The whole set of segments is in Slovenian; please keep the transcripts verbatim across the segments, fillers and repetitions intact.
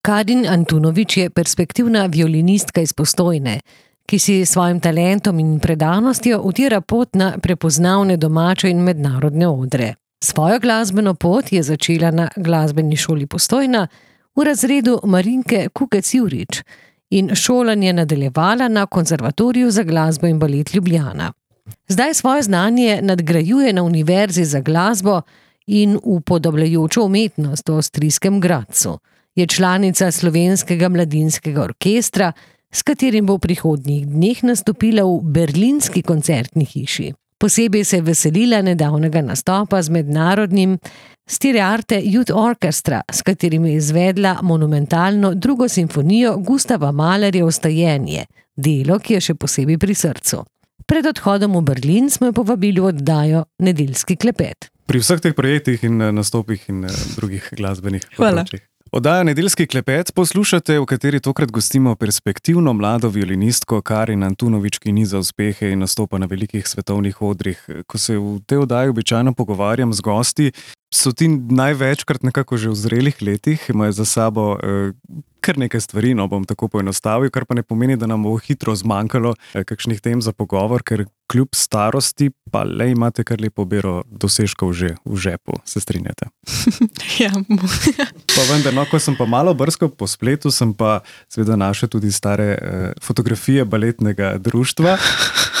Karin Antunović je perspektivna violinistka iz Postojne, ki si s svojim talentom in predanostjo utira pot na prepoznavne domače in mednarodne odre. Svojo glasbeno pot je začela na glasbeni šoli Postojna v razredu Marinke Kukec-Jurič in šolanje nadaljevala na Konzervatoriju za glasbo in balet Ljubljana. Zdaj svoje znanje nadgrajuje na Univerzi za glasbo in upodobljajočo umetnost v avstrijskem Gradcu. Je članica Slovenskega mladinskega orkestra, s katerim bo v prihodnjih dneh nastopila v berlinski koncertni hiši. Posebej se je veselila nedavnega nastopa z mednarodnim Styriarte Youth Orchestra, s katerim je izvedla monumentalno drugo simfonijo Gustava Mahlerja Vstajenje, delo, ki je še posebej pri srcu. Pred odhodom v Berlin smo jo povabili v oddajo Nedeljski klepet. Pri vseh teh projektih in nastopih in drugih glasbenih področjih. Oddaja Nedeljski klepet poslušate, v kateri tokrat gostimo perspektivno mlado violinistko Karin Antunović, ki niza uspehe in nastopa na velikih svetovnih odrih. Ko se v tej oddaji običajno pogovarjam z gosti, so ti največkrat nekako že v zrelih letih, imajo za sabo eh, kar nekaj stvari, no bom tako poenostavil, kar pa ne pomeni, da nam bo hitro zmanjkalo eh, kakšnih tem za pogovor, ker kljub starosti pa le imate kar lepo bero dosežkov že v žepu, se strinjate? Ja. Pa vendar, no, ko sem pa malo brskal po spletu, sem pa seveda našel tudi stare eh, fotografije baletnega društva.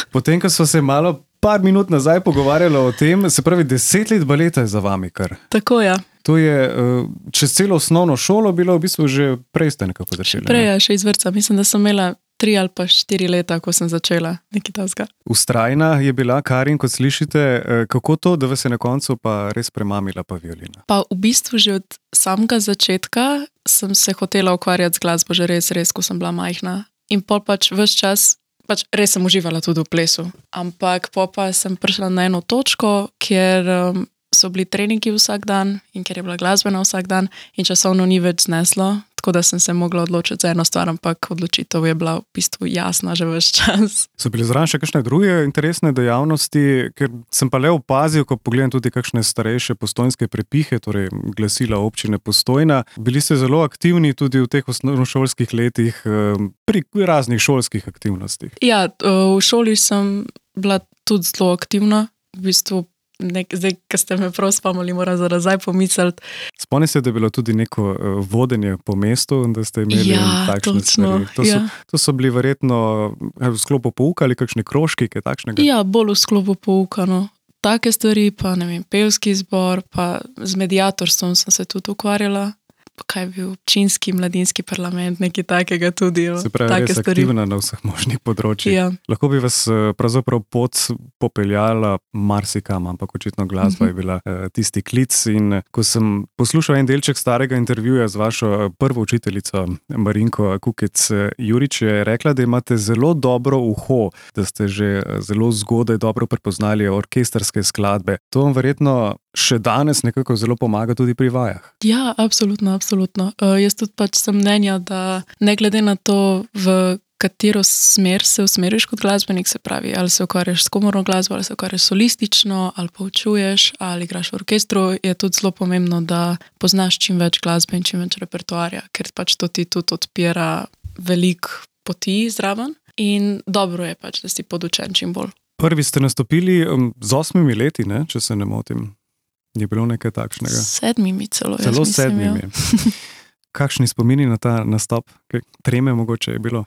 Potem, ko so se malo par minut nazaj pogovarjali o tem, se pravi, deset let baleta je za vami kar. Tako, ja. To je uh, čez celo osnovno šolo bilo v bistvu že prej ste nekako začeli. Prej, ja, še iz vrtca. Mislim, da sem imela tri ali pa štiri leta, ko sem začela nekaj tasga. Vztrajna je bila Karin, kot slišite. Kako to, da vas je na koncu pa res premamila pa violina? Pa v bistvu že od samega začetka sem se hotela ukvarjati z glasbo, že res, res, ko sem bila majhna. In pol pač ves čas Pač res sem uživala tudi v plesu, ampak po pa sem prišla na eno točko, kjer um, so bili treningi vsak dan in kjer je bila glasbena vsak dan in časovno ni več zneslo, tako da sem se mogla odločiti za eno stvar, ampak odločitev je bila v bistvu jasna že ves čas. So bili zraven še kakšne druge interesne dejavnosti, ker sem pa le opazil, ko pogledam tudi kakšne starejše postojnske prepihe, torej glasila občine Postojna, bili ste zelo aktivni tudi v teh osnovnošolskih letih pri raznih šolskih aktivnostih. Ja, v šoli sem bila tudi zelo aktivna, v bistvu Nek, zdaj, ko ste me prav spomnili, moram za nazaj pomisliti. Spomni se, da je bilo tudi neko uh, vodenje po mestu in da ste imeli ja, takšne stvari. To, ja. so, to so bili verjetno v sklopu pouka ali kakšni krožki, kaj takšnega? Ja, bolj v sklopu pouka, no. Take stvari, pa ne vem, pevski zbor, pa z mediatorstvom sem se tudi ukvarjala. Kaj je bil občinski mladinski parlament, nekaj takega tudi. Se pravi, res stvari. Aktivna na vseh možnih področjih. Ja. Lahko bi vas pravzaprav pot popeljala marsikam, ampak očitno glasba je bila uh, tisti klic. In ko sem poslušal en delček starega intervjuja z vašo prvo učiteljico Marinko Kukec-Jurič, je rekla, da imate zelo dobro uho, da ste že zelo zgodaj dobro prepoznali orkestrske skladbe. To vam verjetno še danes nekako zelo pomaga tudi pri vajah. Ja, absolutno, absolutno. Uh, jaz tudi pač sem mnenja, da ne glede na to, v katero smer se usmeriš kot glasbenik, se pravi, ali se ukvarjaš s komorno glasbo, ali se ukvarjaš solistično, ali poučuješ, ali igraš v orkestru, je tudi zelo pomembno, da poznaš čim več glasbe in čim več repertoarja, ker pač to ti tudi odpira veliko poti zraven in dobro je pač, da si podučen čim bolj. Prvi ste nastopili um, z osmimi leti, ne, če se ne motim. Je bilo nekaj takšnega? Sedmimi celo. Celo sedmimi. Kakšni spomini na ta nastop? Treme mogoče je bilo?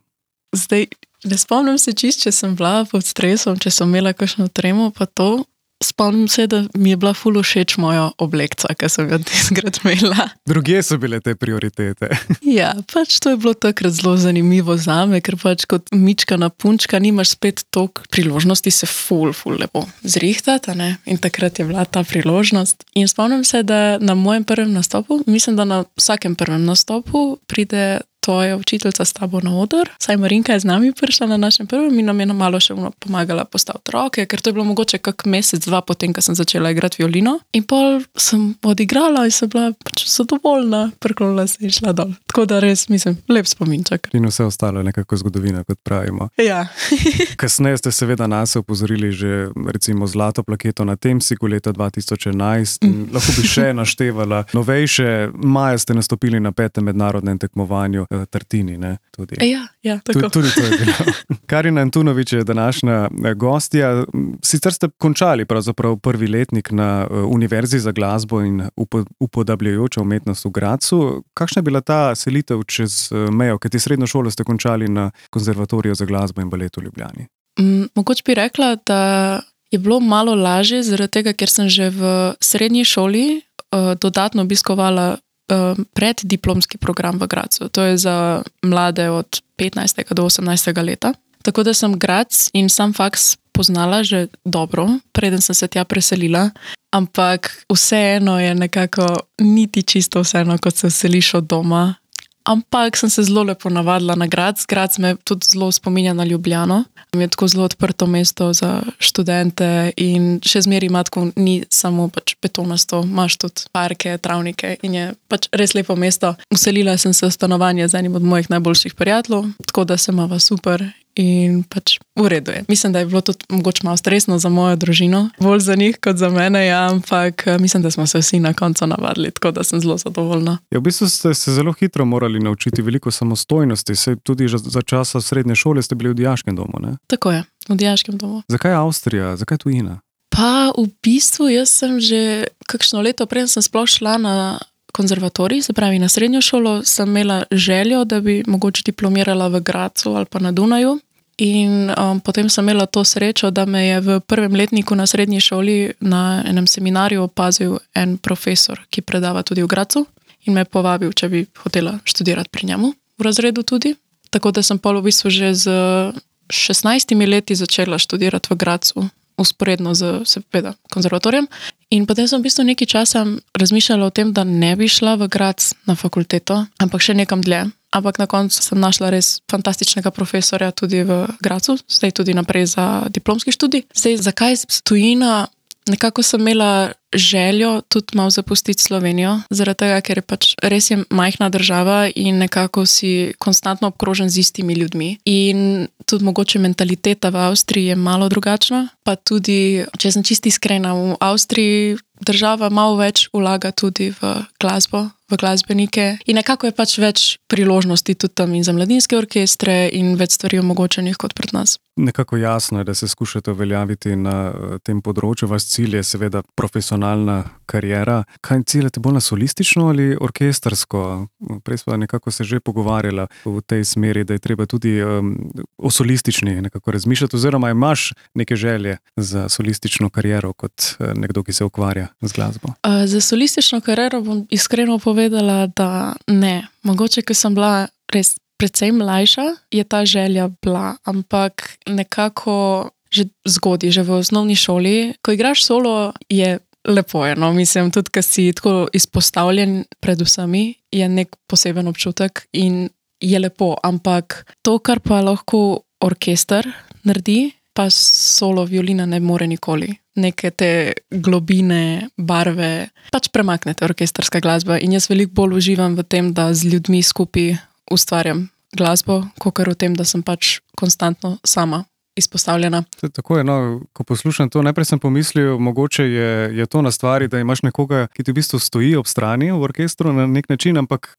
Zdaj, ne spomnim se čist, če sem bila pod stresom, če sem imela kakšno tremo, pa to. Spomnim se, da mi je bila ful všeč moja oblekca, ki sem ga tizkrat imela. Drugje so bile te prioritete. Ja, pač to je bilo takrat zelo zanimivo zame, ker pač kot mičkana punčka nimaš spet toliko priložnosti se ful, ful lepo zrihtati, ne? In takrat je bila ta priložnost. In spomnim se, da na mojem prvem nastopu, mislim, da na vsakem prvem nastopu pride tvoja učiteljica s tabo na oder. Saj Marinka je z nami prišla na našem prvem in nam je malo še pomagala postaviti roke, ker to je bilo mogoče kak mesec, dva potem, ko sem začela igrati violino. In pol sem odigrala in sem bila pač zadovoljna, preklonila se in šla dol. Tako da res, mislim, lep spominček. In vse ostalo je nekako zgodovina, kot pravimo. Ja. Kasneje ste seveda nas opozorili že recimo zlato plaketo na Temsiku leta dva tisoč enajst. Mm. Lahko bi še naštevala novejše. Maja ste nastopili na petem mednarodnem tekmovanju Tartini, ne? Tudi. Ja, ja, tako. Tudi, tudi to je bilo. Karina Antunovič je današnja gostja. Sicer ste končali pravzaprav prvi letnik na Univerzi za glasbo in upodabljajoča umetnost v Gradcu. Kakšna je bila ta selitev čez mejo, kajti srednjo šolo ste končali na Konzervatoriju za glasbo in balet v Ljubljani? Mm, mogoče bi rekla, da je bilo malo lažje, zaradi tega, ker sem že v srednji šoli uh, dodatno obiskovala preddiplomski program v Gradcu. To je za mlade od petnajstega do osemnajstega leta. Tako da sem Gradc in sam faks poznala že dobro, preden sem se tja preselila, ampak vseeno je nekako niti čisto vseeno, kot se vseliš od doma. Ampak sem se zelo lepo navadila na Gradc. Gradc me tudi zelo spominja na Ljubljano. Je tako zelo odprto mesto za študente in še zmeraj ima tako, ni samo pač betonasto, imaš tudi parke, travnike in je pač res lepo mesto. Vselila sem se v stanovanje z enim od mojih najboljših prijateljev, tako da se imava super in pač v redu je. Mislim, da je bilo tudi mogoče malo stresno za mojo družino, bolj za njih kot za mene, ja, ampak mislim, da smo se vsi na koncu navadili, tako da sem zelo zadovoljna. Ja, v bistvu ste se zelo hitro morali naučiti veliko samostojnosti, saj tudi za časa srednje šole ste bili v dijaškem domu, ne? Tako je, v dijaškem domu. Zakaj Avstrija? Zakaj tujina? Pa v bistvu jaz sem že kakšno leto prej sem sploh šla na konzervatorij, se pravi na srednjo šolo, sem imela željo, da bi mogoče diplomirala v Gradcu ali pa na Dunaju. In um, potem sem imela to srečo, da me je v prvem letniku na srednji šoli na enem seminarju opazil en profesor, ki predava tudi v Gradcu in me povabil, če bi hotela študirati pri njemu v razredu tudi. Tako da sem pol v bistvu že z šestnajstimi leti začela študirati v Gradcu, usporedno z seveda konzervatorijem. In potem sem v bistvu nekaj časa razmišljala o tem, da ne bi šla v Gradc na fakulteto, ampak še nekam dlje. Ampak na koncu sem našla res fantastičnega profesorja tudi v Gradcu, zdaj tudi naprej za diplomski študij. Zdaj, zakaj tujina? Nekako sem imela željo tudi malo zapustiti Slovenijo, zaradi tega, ker je pač res je majhna država in nekako si konstantno obkrožen z istimi ljudmi. In tudi mogoče mentaliteta v Avstriji je malo drugačna, pa tudi, če sem čisto iskrena, v Avstriji država malo več vlaga tudi v glasbo, v glasbenike in nekako je pač več priložnosti tudi tam in za mladinske orkestre in več stvari omogočenih kot pred nas. Nekako jasno je, da se skušate uveljaviti na tem področju. Vaš cilj je seveda profesionalna kariera. Kaj ciljate bolj na solistično ali orkestrsko? Prej smo nekako se že pogovarjala v tej smeri, da je treba tudi um, o solistični nekako razmišljati, oziroma imaš neke želje za solistično kariero kot nekdo, ki se ukvarja z glasbo? Uh, za solistično kariero bom iskreno povedala, da ne. Mogoče, ker sem bila res predvsej mlajša, je ta želja bila, ampak nekako že zgodaj, že v osnovni šoli, ko igraš solo, je lepo je, no, mislim, tudi, ker si tako izpostavljen pred vsemi, je nek poseben občutek in je lepo, ampak to, kar pa lahko orkester naredi, pa solo violina ne more nikoli. Neke te globine, barve, pač premaknete orkestrska glasba in jaz veliko bolj uživam v tem, da z ljudmi skupaj ustvarjam glasbo, kakor v tem, da sem pač konstantno sama izpostavljena. Tako je, no, ko poslušam to, najprej sem pomislil, mogoče je, je to na stvari, da imaš nekoga, ki ti v bistvu stoji ob strani v orkestru na nek način, ampak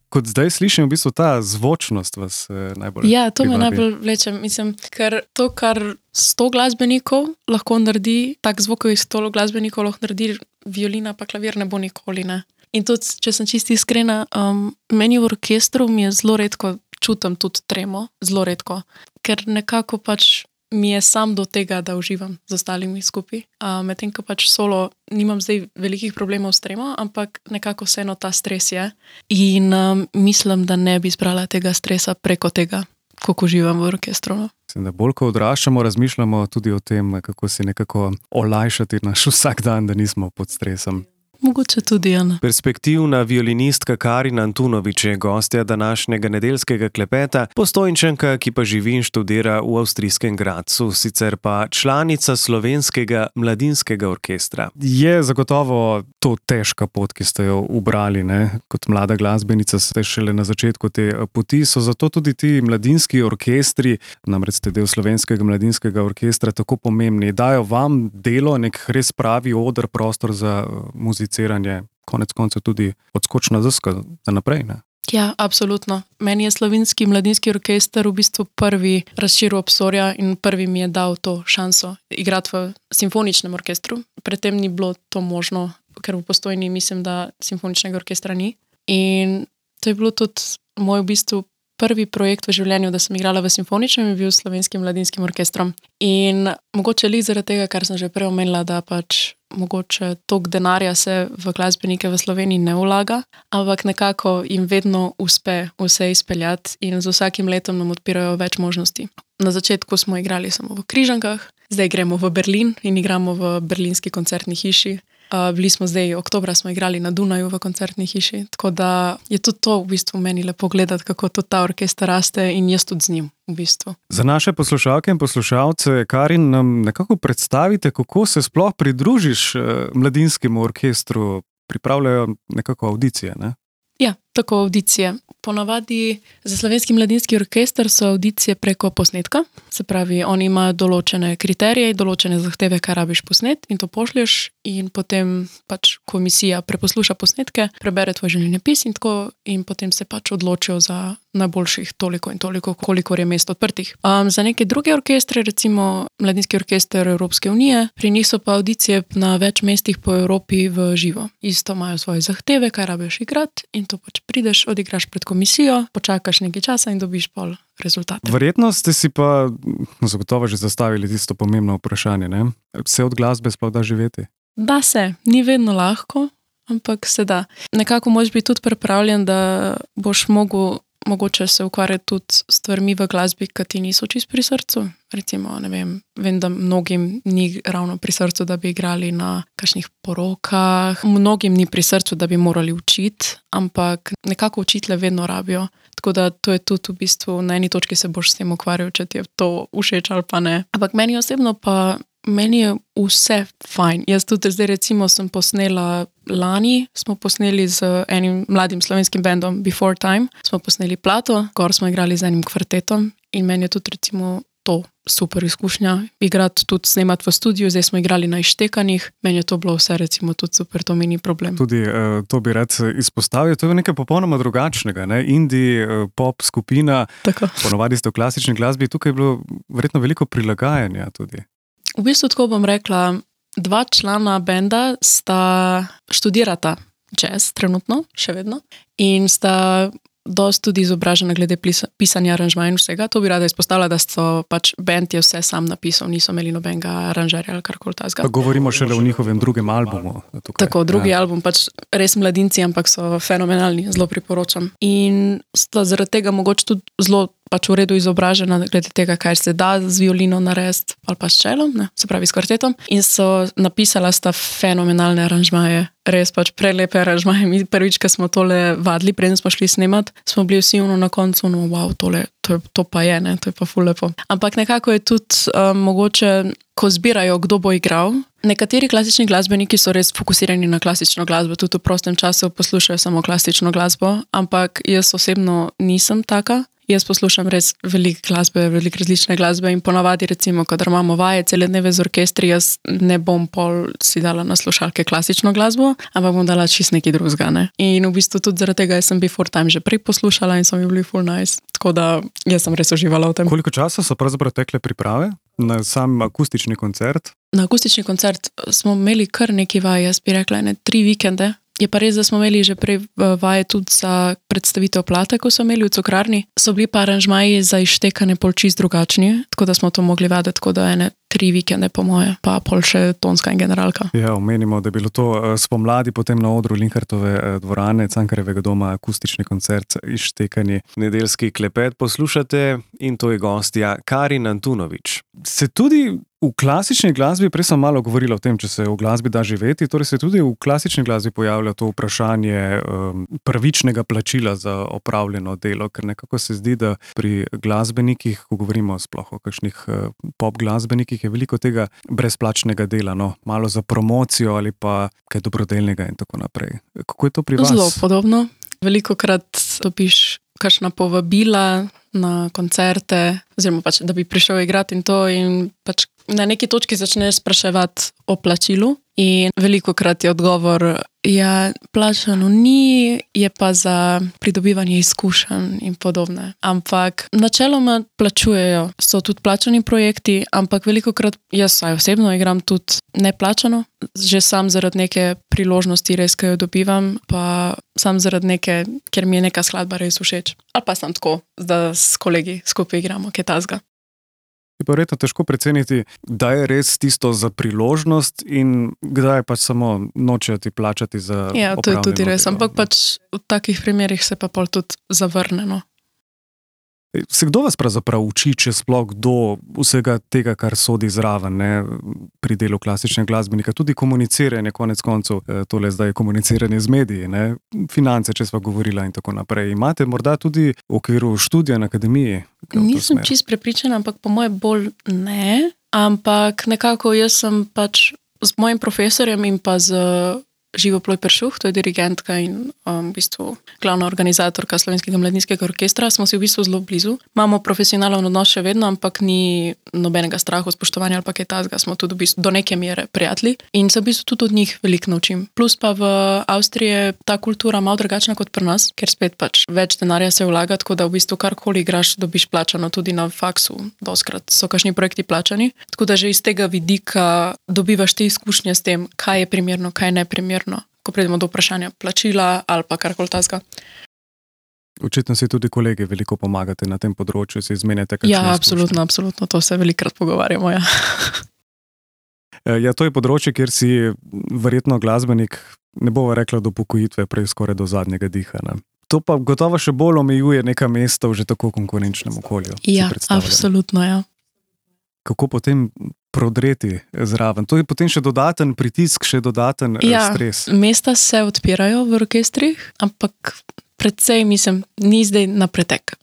kot zdaj slišim, v bistvu ta zvočnost vas eh, najbolj Ja, to privabi. me najbolj vleče, mislim, ker to, kar sto glasbenikov lahko naredi, tak zvok iz sto glasbenikov lahko naredi, violina pa klavir ne bo nikoli, ne. In tudi, če sem čisto iskrena, um, meni v orkestru mi je zelo redko čutim tudi tremo, zelo redko, ker nekako pač mi je sam do tega, da uživam z ostalimi skupaj. Uh, medtem, ko pač solo nimam zdaj velikih problemov s tremo, ampak nekako vseeno ta stres je. In um, mislim, da ne bi zbrala tega stresa preko tega, koliko uživam v orkestru. No. Mislim, da bolj ko odraščamo, razmišljamo tudi o tem, kako si nekako olajšati naš vsak dan, da nismo pod stresom. Mogoče tudi, Jana. Perspektivna violinistka Karin Antunovič je gostja današnjega nedeljskega klepeta, Postojnčanka, ki pa živi in študira v avstrijskem Gradcu, sicer pa članica slovenskega mladinskega orkestra. Je zagotovo to težka pot, ki ste jo ubrali, ne? Kot mlada glasbenica ste šele na začetku te poti, so zato tudi ti mladinski orkestri, namreč ste del slovenskega mladinskega orkestra, tako pomembni. Dajo vam delo, nek res pravi oder, prostor za muziciranje, konec koncev tudi odskočna deska za naprej, ne? Ja, absolutno. Meni je slovenski mladinski orkester v bistvu prvi razširil obzorja in prvi mi je dal to šanso igrati v simfoničnem orkestru. Predtem ni bilo to možno, ker v Postojni mislim, da simfoničnega orkestra ni. In to je bilo tudi moj v bistvu prvi projekt v življenju, da sem igrala v simfoničnem in bil s slovenskim mladinskim orkestrom. In mogoče li zaradi tega, kar sem že prej omenila, da pač mogoče toliko denarja se v glasbenike v Sloveniji ne vlaga, ampak nekako jim vedno uspe vse izpeljati in z vsakim letom nam odpirajo več možnosti. Na začetku smo igrali samo v Križankah, zdaj gremo v Berlin in igramo v berlinski koncertni hiši. Uh, bili smo zdaj, oktobra smo igrali na Dunaju v koncertni hiši, tako da je tudi to v bistvu meni lepo gledati, kako tudi ta orkester raste in jaz tudi z njim v bistvu. Za naše poslušalke in poslušalce, Karin, nam nekako predstavite, kako se sploh pridružiš uh, mladinskemu orkestru, pripravljajo nekako audicije, ne? Ja, tako audicije. Ponavadi za slovenski mladinski orkester so audicije preko posnetka, se pravi, oni imajo določene kriterije, določene zahteve, kaj rabiš posnet in to pošlješ in potem pač komisija preposluša posnetke, prebere tvoj življenjepis in tako in potem se pač odločijo za najboljših toliko in toliko, kolikor je mest odprtih. Um, za neke druge orkestre, recimo Mladinski orkester Evropske unije, pri njih so pa audicije na več mestih po Evropi v živo. Isto imajo svoje zahteve, kaj rabiš igrati in to pač prideš, odigraš pred komisijo, počakaš nekaj časa in dobiš pol rezultate. Verjetno ste si pa zagotovo že zastavili tisto pomembno vprašanje, ne? Se od glasbe sploh da živeti? Da se, ni vedno lahko, ampak se da. Nekako moraš biti tudi pripravljen, da boš mogel mogoče se ukvarjati tudi s stvarmi v glasbi, ki ti niso čisto pri srcu. Recimo, ne vem, vem, da mnogim ni ravno pri srcu, da bi igrali na kakšnih porokah, mnogim ni pri srcu, da bi morali učiti, ampak nekako učitele vedno rabijo. Tako da to je tudi v bistvu, na eni točki se boš s tem ukvarjal, če ti je to všeč ali pa ne. Ampak meni osebno pa meni je vse fajn. Jaz tudi zdaj recimo sem posnela lani, smo posneli z enim mladim slovenskim bandom Before Time, smo posneli plato, gor smo igrali z enim kvartetom in meni je tudi recimo to super izkušnja. Igrati tudi, snemati v studiu, zdaj smo igrali na izštekanjih, meni je to bilo vse recimo tudi super, to mi ni problem. Tudi uh, to bi rad izpostavil, to je nekaj popolnoma drugačnega, ne? Indie, uh, pop skupina, Tako. Ponovadi ste v klasični glasbi, tukaj je bilo verjetno veliko prilagajanja tudi. V bistvu tako bom rekla, dva člana benda sta študirata jazz trenutno, še vedno, in sta dosti tudi izobražena glede pisanja aranžmaja in vsega. To bi rada izpostavila, da so pač bend je vse sam napisal, niso imeli nobenega aranžerja ali karkoli tazga. Pa govorimo šele o njihovem drugem albumu. Tukaj. Tako, drugi ja. album, pač res mladinci, ampak so fenomenalni, zelo priporočam. In sta zaradi tega mogoče tudi zelo pač v redu izobražena glede tega, kaj se da z violino narediti ali pa s čelom, ne, se pravi s kvartetom. In so napisala sta fenomenalne aranžmaje, res pač prelepe aranžmaje. Mi prvič, ko smo tole vadili, preden smo šli snemat, smo bili vsi ono na koncu, no wow, tole, to, je, to pa je, ne, to je pa ful lepo. Ampak nekako je tudi um, mogoče, ko zbirajo, kdo bo igral. Nekateri klasični glasbeniki so res fokusirani na klasično glasbo, tudi v prostem času poslušajo samo klasično glasbo, ampak jaz osebno nisem taka. Jaz poslušam res veliko glasbe, veliko različne glasbe in ponavadi recimo, kadar imamo vaje cele dneve z orkestri, jaz ne bom pol si dala na slušalke klasično glasbo, ampak bom dala čist nekaj drugega, ne. In v bistvu tudi zaradi tega sem Before Time že prej poslušala in so mi bili full nice, tako da jaz sem res uživala v tem. Koliko časa so pravzaprav tekle priprave na sam akustični koncert? Na akustični koncert smo imeli kar nekaj vaj, jaz bi rekla, ne, tri vikende. Je pa res, da smo imeli že prej vaje tudi za predstavitev plate, ko so imeli v Cukrarni. So bili pa aranžmaji za izštekane pol čist drugačni, tako da smo to mogli vaditi, tako da ene tri vikende po moje, pa pol še tonska in generalka. Ja, omenimo, da je bilo to spomladi potem na odru Linhartove dvorane, Cankarjevega doma, akustični koncert, izštekani nedeljski klepet poslušate in to je gostja Karin Antunovič. Se tudi v klasični glasbi, prej sem malo govorila o tem, če se v glasbi da živeti, torej se tudi v klasični glasbi pojavlja to vprašanje um, pravičnega plačila za opravljeno delo, ker nekako se zdi, da pri glasbenikih, ko govorimo sploh o kakšnih uh, pop glasbenikih, je veliko tega brezplačnega dela, no, malo za promocijo ali pa kaj dobrodelnega in tako naprej. Kako je to pri vas? Zelo podobno. Velikokrat dobiš kakšna povabila na koncerte, oziroma pač, da bi prišel igrati in to in pač na neki točki začneš spraševati o plačilu in velikokrat je odgovor, ja, plačano ni, je pa za pridobivanje izkušenj in podobne. Ampak načeloma plačujejo, so tudi plačani projekti, ampak velikokrat jaz saj osebno igram tudi neplačano, že sam zaradi neke priložnosti res, ki jo dobivam, pa sam zaradi neke, ker mi je neka skladba res všeč. Ali pa sem tako, da s kolegi skupaj igramo, kaj tazga. Je pa verjetno težko preceniti, da je res tisto za priložnost in kdaj pač samo nočejo ti plačati za opravljeno. Ja, to je tudi res, ampak pač v takih primerih se pa pol tudi zavrneno. Se kdo vas pravzaprav uči, če sploh kdo vsega tega, kar sodi zraven, ne, pri delu klasičnega glasbenika, tudi komuniciranje, konec koncev, tole zdaj komuniciranje z mediji, ne, finance, če sva govorila in tako naprej. Imate morda tudi v okviru študija na akademiji? Nisem čist prepričana, ampak po moje bolj ne, ampak nekako jaz sem pač z mojim profesorjem in pa z Živo Ploj Peršuh, to je dirigentka in um, v bistvu glavna organizatorka Slovenskega mladinskega orkestra, smo si v bistvu zelo blizu. Imamo profesionalen odnos še vedno, ampak ni nobenega strahu, spoštovanja ali pa kaj tazga, smo tudi v bistvu do neke mere prijatelji in se v bistvu tudi od njih veliko naučim. Plus pa v Avstriji je ta kultura malo drugačna kot pri nas, ker spet pač več denarja se vlaga, tako da v bistvu karkoli igraš, dobiš plačano tudi na faksu. Doskrat so kakšni projekti plačani, tako da že iz tega vidika dobivaš te izkušnje s tem, kaj je primerno, kaj je neprimerno. Ko pridemo do vprašanja plačila ali pa karkoli tazga. Očitno si tudi kolegi veliko pomagate na tem področju, si izmenjate kakšne Ja, absolutno, absolutno, to se velikokrat pogovarjamo, ja. Ja, to je področje, kjer si verjetno glasbenik, ne bova rekla do pokojitve, prej skoraj do zadnjega diha, ne. To pa gotovo še bolj omejuje neka mesta v že tako konkurenčnem okolju. Ja, absolutno, ja. Kako potem prodreti zraven? To je potem še dodaten pritisk, še dodaten ja, stres. Ja, mesta se odpirajo v orkestrih, ampak predvsej, mislim, ni zdaj na pretek.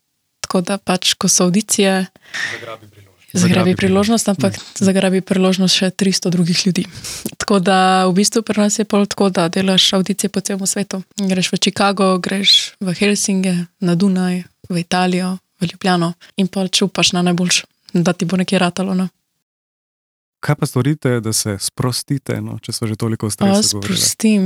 Tako da pač, ko so audicije, zagrabi priložnost, zagrabi priložnost ampak ne. zagrabi priložnost še tristo drugih ljudi. Tako da v bistvu pri nas je pol tako, da delaš audicije po celem svetu. Greš v Chicago, greš v Helsinge, na Dunaj, v Italijo, v Ljubljano in pol čupaš na najboljšo, da ti bo nekaj ratalo, no. Kaj pa storite, da se sprostite, no, če so že toliko v stresu govorili? Sprostim.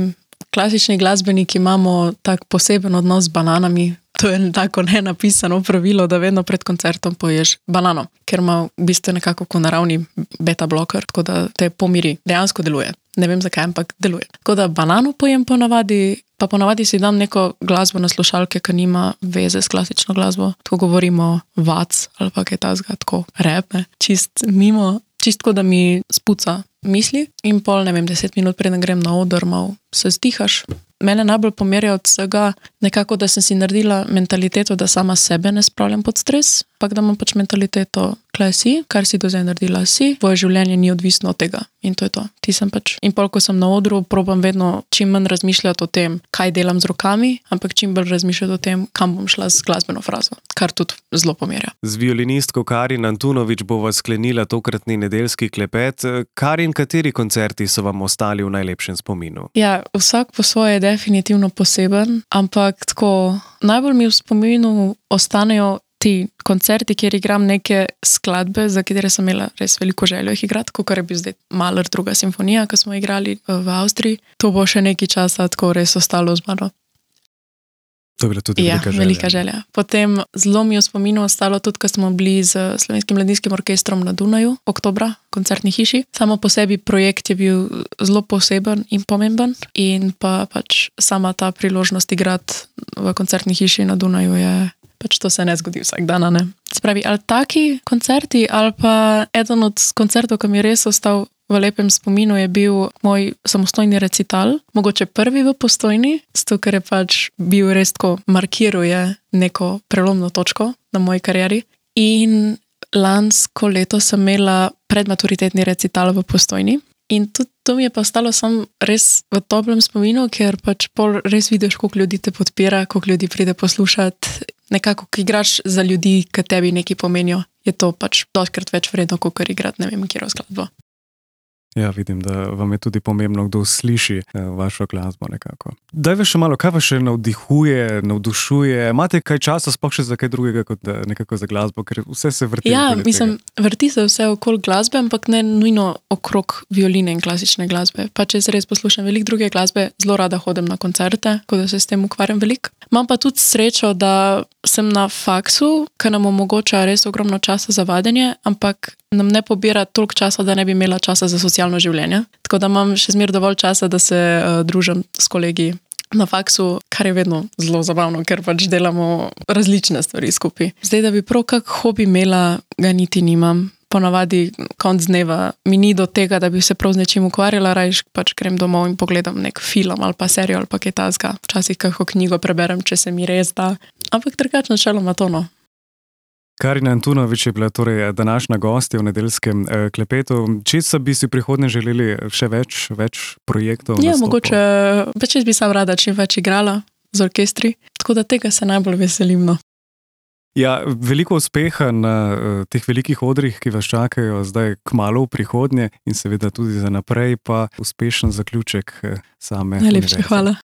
Klasični glasbeniki imamo tak poseben odnos z bananami. To je tako nenapisano pravilo, da vedno pred koncertom poješ banano, ker ima v bistvu nekako kot naravni beta bloker, tako da te pomiri. Dejansko deluje. Ne vem zakaj, ampak deluje. Tako da banano pojem ponavadi, pa ponavadi si dam neko glasbo na slušalke, ki nima veze s klasično glasbo. Tako govorimo vac ali pa kaj tazga, tako rap, ne. Čist mimo, čistko, da mi spuca misli in pol, ne vem, deset minut preden grem na oder, mal se zdihaš. Mene najbolj pomerja od vsega nekako, da sem si naredila mentaliteto, da sama sebe ne spravljam pod stres, ampak da imam pač mentaliteto, kaj si, kar si do zdaj naredila si, tvoje življenje ni odvisno od tega in to je to. Ti sem pač. In pol, ko sem na odru, probam vedno čim manj razmišljati o tem, kaj delam z rokami, ampak čim bolj razmišljati o tem, kam bom šla z glasbeno frazo, kar tudi zelo pomerja. Z violinistko Karin Antunovič bova sklenila tokratni nedeljski klepet. Karin, kateri koncerti so vam ostali v najlepšem spominu? Ja, vsak po svoje je definitivno poseben, ampak tako najbolj mi v spominu ostanejo ti koncerti, kjer igram neke skladbe, za katere sem imela res veliko željo jih igrati, kot je bil zdaj Mahler druga simfonija, ko smo igrali v Avstriji. To bo še nekaj časa tako res ostalo z mano. To je bila tudi ja, velika želja. velika želja. Potem zelo mi je v spominu ostalo tudi, ko smo bili z Slovenskim mladinskim orkestrom na Dunaju, oktobra, koncertni hiši. Samo po sebi projekt je bil zelo poseben in pomemben in pa pač sama ta priložnost igrati v koncertni hiši na Dunaju je pač to se ne zgodi vsak dan, ne. Spravi, ali taki koncerti, ali pa eden od koncertov, ki mi je res ostal v lepem spominu, je bil moj samostojni recital, mogoče prvi v Postojni, zato ker je pač bil res tako, markiral je neko prelomno točko na moji karieri. In lansko leto sem imela predmaturitetni recital v Postojni. In tudi to mi je pa ostalo sam res v toplem spominu, ker pač pol res vidiš, koliko ljudi te podpira, koliko ljudi pride poslušati. Nekako, ko igraš za ljudi, ki tebi nekaj pomenijo, je to pač dostikrat več vredno, kot igrati ne vem, kjero skladbo. Ja, vidim, da vam je tudi pomembno, kdo sliši eh, vašo glasbo nekako. Daj še malo, kaj vas še navdihuje, navdušuje? Imate kaj časa sploh še za kaj drugega, kot da nekako za glasbo, ker vse se vrti? Ja, mislim, vrti se vse okoli glasbe, ampak ne nujno okrog violine in klasične glasbe. Pa če se res poslušam veliko druge glasbe, zelo rada hodim na koncerte, ko da se s tem ukvarjam veliko. Imam pa tudi srečo, da sem na faksu, ki nam omogoča res ogromno časa za vadenje, ampak nam ne pobira toliko časa, da ne bi imela časa za socialno življenje. Tako da imam še zmer dovolj časa, da se uh, družim s kolegi na faksu, kar je vedno zelo zabavno, ker pač delamo različne stvari skupaj. Zdaj, da bi prav kak hobi imela, ga niti nimam. Ponavadi konc dneva mi ni do tega, da bi se prav z nečim ukvarjala, rajš pač grem domov in pogledam nek film ali pa serijo ali pa kaj takega. Včasih kako knjigo preberem, če se mi res da. Ampak drugače načeloma to, no. Karina Antunovič je bila torej današnja gostja v nedeljskem eh, klepetu. Česa bi si prihodnje želeli še več, več projektov? Ja, nastopov? mogoče, pač jaz bi sam rada čim več igrala z orkestri, tako da tega se najbolj veselim, no. Ja, veliko uspeha na uh, teh velikih odrih, ki vas čakajo zdaj kmalu v prihodnje in seveda tudi za naprej, pa uspešen zaključek uh, same univerze. Najlepša hvala.